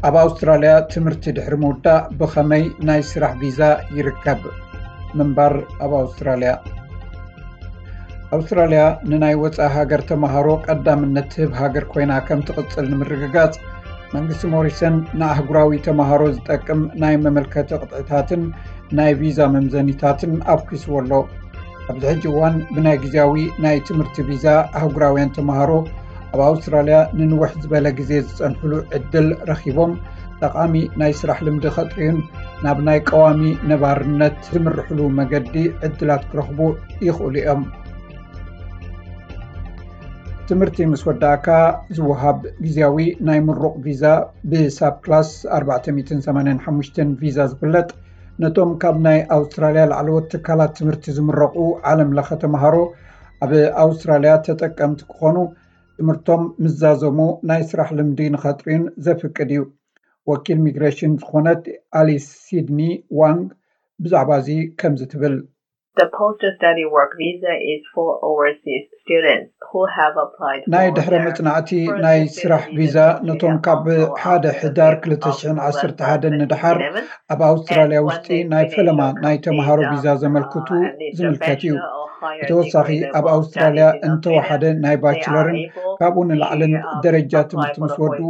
ኣብ ኣውስትራልያ ትምህርቲ ድሕሪ ምውዳእ ብኸመይ ናይ ስራሕ ቪዛ ይርከብ? ምንባር ኣብ ኣውስትራልያ። ኣውስትራልያ ንናይ ወፃኢ ሃገር ተምሃሮ ቀዳምነት ትህብ ሃገር ኮይና ከም ትቕፅል ንምርግጋፅ መንግስቲ ሞሪሰን ንኣህጉራዊ ተምሃሮ ዝጠቅም ናይ መመልከቲ ቅጥዕታትን ናይ ቪዛ መምዘኒታትን ኣፍኪስዎ ኣሎ። ኣብዚ ሕጂ እዋን ብናይ ግዜያዊ ናይ ትምህርቲ ቪዛ ኣህጉራውያን ተምሃሮ ኣብ ኣውስትራልያ ንንውሕ ዝበለ ግዜ ዝጸንሕሉ ዕድል ረኺቦም ጠቓሚ ናይ ስራሕ ልምዲ ከጥርዩን ናብ ናይ ቀዋሚ ነባርነት ዝምርሕሉ መገዲ ዕድላት ክረኽቡ ይኽእሉ እዮም። ትምህርቲ ምስ ወዳእካ ዝወሃብ ግዜያዊ ናይ ምሩቕ ቪዛ ብሳብ ክላስ ኣርባዕተ ሚእትን ሰማንያን ሓሙሽተን ቪዛ ዝፍለጥ ነቶም ካብ ናይ ኣውስትራልያ ላዕለዎት ትካላት ትምህርቲ ዝምረቑ ዓለም ለኸ ተምሃሮ ኣብ ኣውስትራልያ ተጠቀምቲ ክኾኑ ትምህርቶም ምዛዘሙ ናይ ስራሕ ልምዲ ንኸጥርዩን ዘፍቅድ እዩ። ወኪል ሚግሬሽን ዝኾነት ኣሊስ ሲድኒ ዋንግ ብዛዕባ እዚ ከምዚ ትብል። The post-study work visa is for overseas students who have applied ናይ ድሕረ መጽናዕቲ ናይ ስራሕ ቪዛ ነቶም ካብ ሓደ ሕዳር ክልተ ሽሕን ዓሰርተ ሓደን ንድሓር ኣብ ኣውስትራልያ ውሽጢ ናይ ፈለማ ናይ ተምሃሮ ቪዛ ዘመልክቱ ዝምልከት እዩ። ብተወሳኺ ኣብ ኣውስትራልያ እንተወሓደ ናይ ባችለርን ካብኡ ንላዕልን ደረጃ ትምህርቲ ምስ ወድኡ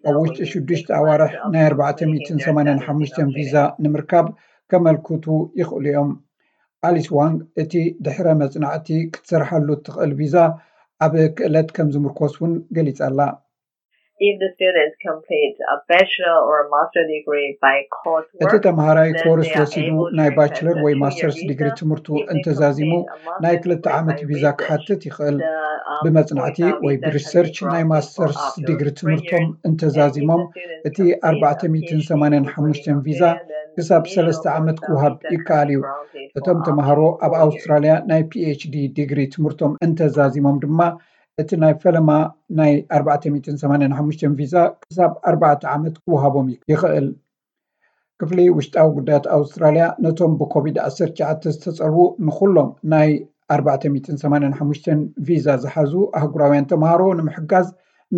ኣብ ውሽጢ ሽዱሽተ ኣዋርሕ ናይ ኣርባዕተ ሚእትን ሰማንያን ሓሙሽተን ቪዛ ንምርካብ ከመልክቱ ይኽእሉ እዮም። ኣሊስ ዋንግ እቲ ድሕረ መጽናዕቲ ክትሰርሓሉ እትኽእል ቪዛ ኣብ ክእለት ከም ዝምርኮስ እውን ገሊጻ ኣላ። If the students complete a bachelor or a master degree by coursework, እቲ ተምሃራይ ኮርስ ወሲዱ ናይ ባችለር ወይ ማስተርስ ዲግሪ ትምህርቱ እንተዛዚሙ ናይ ክልተ ዓመት ቪዛ ክሓትት ይኽእል። ብመጽናዕቲ ወይ ብሪሰርች ናይ ማስተርስ ዲግሪ ትምህርቶም እንተዛዚሞም እቲ ኣርባዕተ ሚእትን ሰማንያን ሓሙሽተን ቪዛ ክሳብ ሰለስተ ዓመት ክወሃብ ይከኣል እዩ። እቶም ተምሃሮ ኣብ ኣውስትራልያ ናይ ፒኤችዲ ዲግሪ ትምህርቶም እንተዛዚሞም ድማ እቲ ናይ ፈለማ ናይ ኣርባዕተ ሚእትን ሰማንያን ሓሙሽተን ቪዛ ክሳብ ኣርባዕተ ዓመት ክወሃቦም ይኽእል። ክፍሊ ውሽጣዊ ጉዳያት ኣውስትራልያ ነቶም ብኮቪድ ዓሰርተ ትሽዓተ ዝተጸልዉ ንኹሎም ናይ ኣርባዕተ ሚእትን ሰማንያን ሓሙሽተን ቪዛ ዝሓዙ ኣህጉራውያን ተምሃሮ ንምሕጋዝ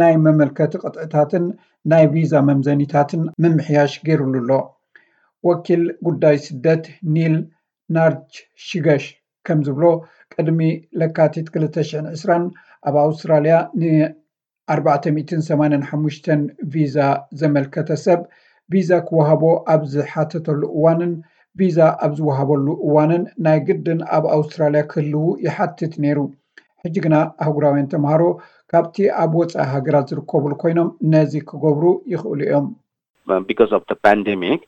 ናይ መመልከቲ ቅጥዕታትን ናይ ቪዛ መምዘኒታትን ምምሕያሽ ገይሩሉ ኣሎ። ወኪል ጉዳይ ስደት ኒል ናርች ሽገሽ ከም ዝብሎ ቅድሚ ለካቲት ክልተ ሽሕን ዕስራን ኣብ ኣውስትራልያ ን ኣርባዕተ ሚእትን ሰማንያን ሓሙሽተን ቪዛ ዘመልከተ ሰብ ቪዛ ክወሃቦ ኣብ ዝሓተተሉ እዋንን ቪዛ ኣብ ዝወሃበሉ እዋንን ናይ ግድን ኣብ ኣውስትራልያ ክህልዉ ይሓትት ነይሩ። ሕጂ ግና ኣህጉራውያን ተምሃሮ ካብቲ ኣብ ወፃኢ ሃገራት ዝርከቡሉ ኮይኖም ነዚ ክገብሩ ይኽእሉ እዮም። Because of the pandemic,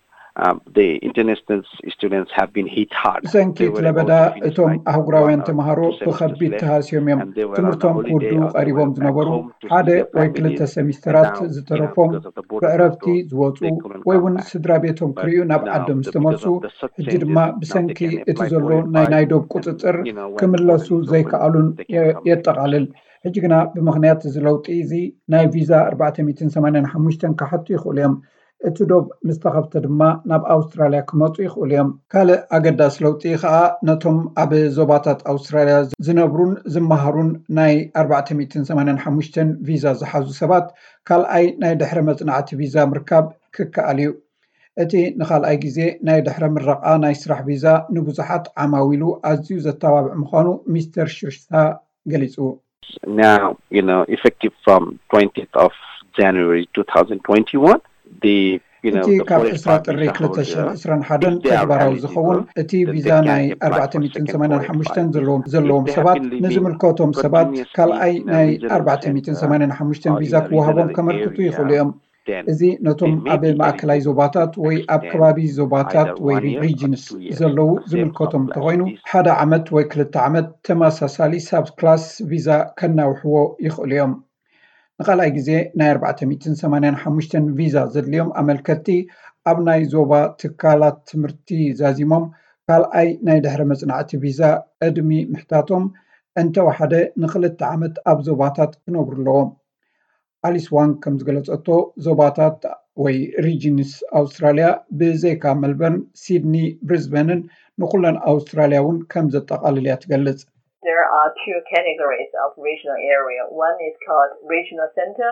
um, the international students have been hit hard. ብሰንኪ እቲ ለበዳ እቶም ኣህጉራውያን ተምሃሮ ብኸቢድ ተሃስዮም እዮም። ትምህርቶም ክውድኡ ቀሪቦም ዝነበሩ ሓደ ወይ ክልተ ሰሚስተራት ዝተረፎም ብዕረፍቲ ዝወፁ ወይ እውን ስድራ ቤቶም ክርእዩ ናብ ዓዶም ዝተመልሱ ሕጂ ድማ ብሰንኪ እቲ ዘሎ ናይ ዶብ ቁፅፅር ክምለሱ ዘይከኣሉን የጠቓልል። ሕጂ ግና ብምኽንያት እዚ ለውጢ እዚ ናይ ቪዛ ኣርባዕተ ሚእትን ሰማንያን ሓሙሽተን ክሓቱ ይኽእሉ እዮም። እቲ ዶብ ምስ ተኸፍተ ድማ ናብ ኣውስትራልያ ክመፁ ይኽእሉ እዮም። ካልእ ኣገዳሲ ለውጢ ከኣ ነቶም ኣብ ዞባታት ኣውስትራልያ ዝነብሩን ዝመሃሩን ናይ ኣርባዕተ ሚእትን ሰማንያን ሓሙሽተን ቪዛ ዝሓዙ ሰባት ካልኣይ ናይ ድሕረ መጽናዕቲ ቪዛ ምርካብ ክከኣል እዩ። እቲ ንኻልኣይ ግዜ ናይ ድሕረ ምረቓ ናይ ስራሕ ቪዛ ንብዙሓት ዓማዊሉ ኣዝዩ ዘተባብዕ ምዃኑ ሚስተር ሽርሽታ ገሊጹ። Now, you know, effective from twentieth of January two thousand twenty-one, the you know, እቲ ካብ ዕስራ ጥሪ ክልተ ሽሕን ዕስራን ሓደን ተግባራዊ ዝኸውን እቲ ቪዛ ናይ ኣርባዕተ ሚእትን ሰማንያን ሓሙሽተን ዘለዎም ዘለዎም ሰባት ንዝምልከቶም ሰባት ካልኣይ ናይ ኣርባዕተ ሚእትን ሰማንያን ሓሙሽተን ቪዛ ክወሃቦም ከመልክቱ ይኽእሉ እዮም። እዚ ነቶም ኣብ ማእከላይ ዞባታት ወይ ኣብ ከባቢ ዞባታት ወይ ሪጅንስ ዘለዉ ዝምልከቶም እንተኾይኑ ሓደ ዓመት ወይ ክልተ ዓመት ተመሳሳሊ ሳብ ክላስ ቪዛ ከናውሕዎ ይኽእሉ እዮም። ንኻልኣይ ግዜ ናይ ኣርባዕተ ሚእትን ሰማንያን ሓሙሽተን ቪዛ ዘድልዮም ኣመልከትቲ ኣብ ናይ ዞባ ትካላት ትምህርቲ ዛዚሞም ካልኣይ ናይ ድሕረ መጽናዕቲ ቪዛ ቅድሚ ምሕታቶም እንተወሓደ ንክልተ ዓመት ኣብ ዞባታት ክነብሩ ኣለዎም። ኣሊስ ዋንግ ከም ዝገለጸቶ ዞባታት ወይ ሪጅንስ ኣውስትራልያ ብዘይካ መልበርን፣ ሲድኒ፣ ብሪዝበንን ንኩለን ኣውስትራልያ እውን ከም ዘጠቓልል እያ ትገልጽ። There are two categories of regional area. One is called regional center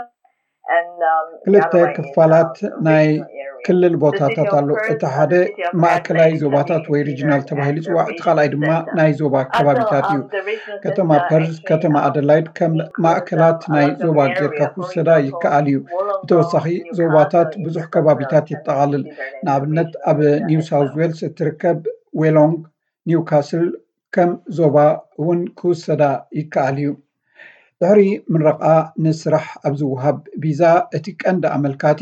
ክልተ ክፋላት ናይ ክልል ቦታታት ኣሎ። እቲ ሓደ ማእከላይ ዞባታት ወይ ሪጅናል ተባሂሉ ይፅዋዕ፣ እቲ ካልኣይ ድማ ናይ ዞባ ከባቢታት እዩ። ከተማ ፐርዝ፣ ከተማ ኣደላይድ ከም ማእከላት ናይ ዞባ ጌርካ ክውሰዳ ይከኣል እዩ። ብተወሳኺ ዞባታት ብዙሕ ከባቢታት የጠቓልል። ንኣብነት ኣብ ኒው ሳውዝ ዌልስ እትርከብ ዌሎንግ ኒውካስል ከም ዞባ እውን ክውሰዳ ይከኣል እዩ። ድሕሪ ምረቓ ንስራሕ ኣብ ዝወሃብ ቪዛ እቲ ቀንዲ ኣመልካቲ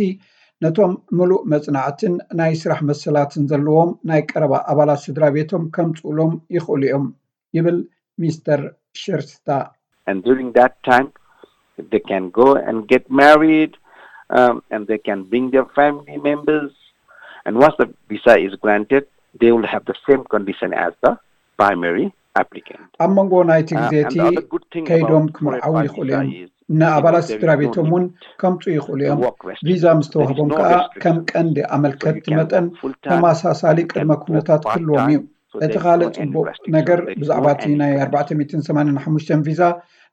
ነቶም ምሉእ መጽናዕትን ናይ ስራሕ መሰላትን ዘለዎም ናይ ቀረባ ኣባላት ስድራ ቤቶም ከምጽኡሎም ይኽእሉ እዮም ይብል ሚስተር ሸርስታ። And during that time, they can go and get married, um, and they can bring their family members. And once the visa is granted, they will have the same condition as the primary applicant. ኣብ መንጎ ናይቲ ግዜ እቲ ከይዶም ክምርዓው ይኽእሉ እዮም። ንኣባላት ስድራ ቤቶም እውን ከምፁ ይኽእሉ እዮም። ቪዛ ምስ ተዋህቦም ከዓ ከም ቀንዲ ኣመልከቲ መጠን ተመሳሳሊ ቅድመ ኩነታት ክህልዎም እዩ። እቲ ካልእ ፅቡቕ ነገር ብዛዕባ እቲ ናይ ኣርባዕተ ሚእትን ሰማንያን ሓሙሽተን ቪዛ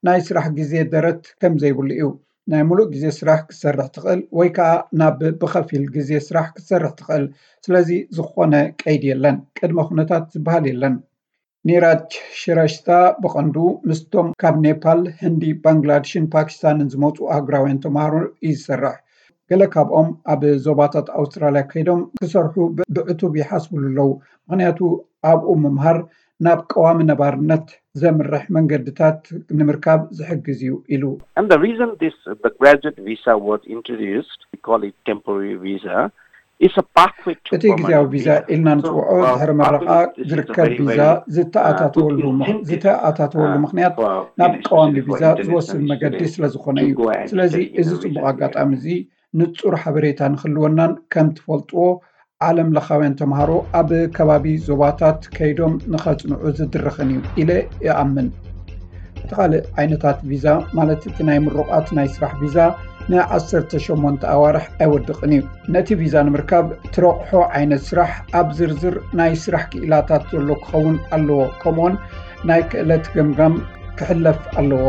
ናይ ስራሕ ግዜ ደረት ከም ዘይብሉ እዩ። ናይ ሙሉእ ግዜ ስራሕ ክትሰርሕ ትኽእል ወይ ከዓ ናብ ብኸፊል ግዜ ስራሕ ክትሰርሕ ትኽእል። ስለዚ ዝኾነ ቀይዲ የለን፣ ቅድመ ኩነታት ዝበሃል የለን። ኒራጅ ሽረሽታ ብቐንዱ ምስቶም ካብ ኔፓል፣ ህንዲ፣ ባንግላድሽን ፓኪስታንን ዝመፁ ኣህጉራውያን ተምሃሮ እዩ ዝሰርሕ። ገለ ካብኦም ኣብ ዞባታት ኣውስትራልያ ከይዶም ክሰርሑ ብዕቱብ ይሓስብሉ ኣለዉ፣ ምኽንያቱ ኣብኡ ምምሃር ናብ ቀዋሚ ነባርነት ዘምርሕ መንገድታት ንምርካብ ዝሕግዝ እዩ ኢሉ። And the reason this the graduate visa was introduced, we call it temporary visa, is a pathway to እቲ ግዜያዊ ቪዛ ኢልና ንፅውዖ ድሕሪ መረቓ ዝርከብ ቪዛ ዝተኣታተወሉ ዝተኣታተወሉ ምክንያት ናብ ቀዋሚ ቪዛ ዝወስድ መገዲ ስለ ዝኾነ እዩ። ስለዚ እዚ ፅቡቕ ኣጋጣሚ እዚ ንፁር ሓበሬታ ንክህልወናን ከም ትፈልጥዎ ዓለም ለኻውያን ተምሃሮ ኣብ ከባቢ ዞባታት ከይዶም ንኸፅንዑ ዝድርኽን እዩ ኢለ ይኣምን። እቲ ካልእ ዓይነታት ቪዛ ማለት እቲ ናይ ምሩቓት ናይ ስራሕ ቪዛ ንዓሰርተ ሸሞንተ ኣዋርሕ ኣይወድቕን እዩ። ነቲ ቪዛ ንምርካብ ትረቑሖ ዓይነት ስራሕ ኣብ ዝርዝር ናይ ስራሕ ክኢላታት ዘሎ ክኸውን ኣለዎ፣ ከምኡውን ናይ ክእለት ገምጋም ክሕለፍ ኣለዎ።